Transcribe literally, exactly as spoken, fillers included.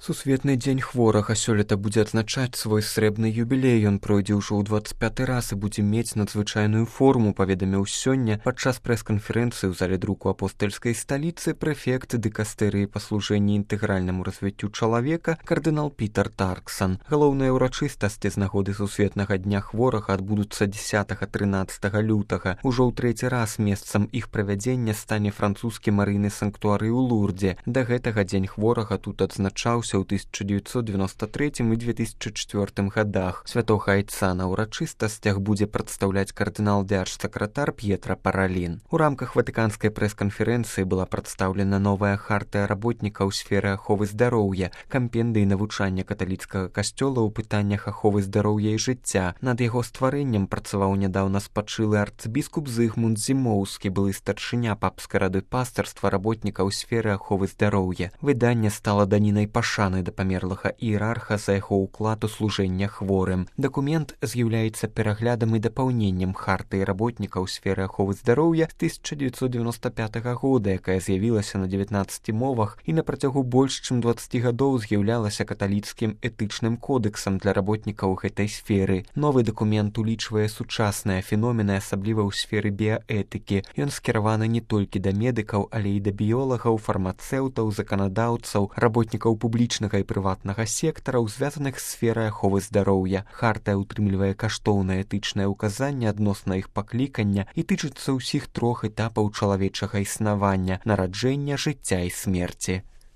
Сусветны дзень хворага сёлета будзе адзначаць свой срэбны юбілей. Ён пройдзе ўжо ў дваццаць пяты раз і будзе мець надзвычайную форму, паведаміў сёння падчас прэс-канферэнцыі ў зале друку апостальскай сталіцы прэфект дыкастэрыі па служэнні інтэгральнаму развіццю чалавека кардынал Пітер Тарксан. Галоўныя ўрачыстасці з нагоды сусветнага дня хворага адбудуцца дзесятага-трынаццатага лютага. Ужо ў трэці раз месцам іх правядзення стане французскі марыйны санктуары ў Лурдзе. Да гэтага дзень хворага тут адзначаўся ў тысяча дзевяцьсот дзевяносто трэцім і две тысячы чвёртым гадах. Святога айца на ўрачыстасцях будзе прадстаўляць кардынал дзяржсакратар П'етра Паралін. У рамках ватыканскай прэс-канферэнцыі была прадстаўлена новая хартыя работніка ў сферы аховы здароўя, кампендыі навучання каталіцкага касцёла ў пытаннях аховы здароўя і жыцця. Над яго стварэннем працаваў нядаўна спачылы арцыбіскуп Зыгмунд Зімоўскі, былы старшыня папскай рады пастарства работніка ў сферы аховы здароўя. Выданне стала данінай пашаны да памерлага іерарха за яго ўклад у служэння хворым. Дакумент з'яўляецца пераглядам і дапаўненнем хартыі работніка ў сферы аховы здароўя з тысяча дзевяцьсот дзевяносто пятага года, якая з'явілася на дзевятнаццаці мовах і на працягу больш чым дваццаці гадоў з'яўлялася каталіцкім этычным кодексам для работнікаў гэтай сферы. Новы дакумент улічвае сучасныя феномены, асабліва ў сферы біяэтыкі. Ён скіраваны не толькі да медыкаў, але і да біолагаў, фармацэўтаў, заканадаўцаў, работнікаў публічнага і прыватнага сектараў, звязаных з сферай аховы здароўя. Хартая ўтрымлівае каштоўнае этычнае ўказанне адносна іх паклікання і тычыцца ўсіх трох этапаў чалавечага існавання: нараджэння, жыцця і смерці.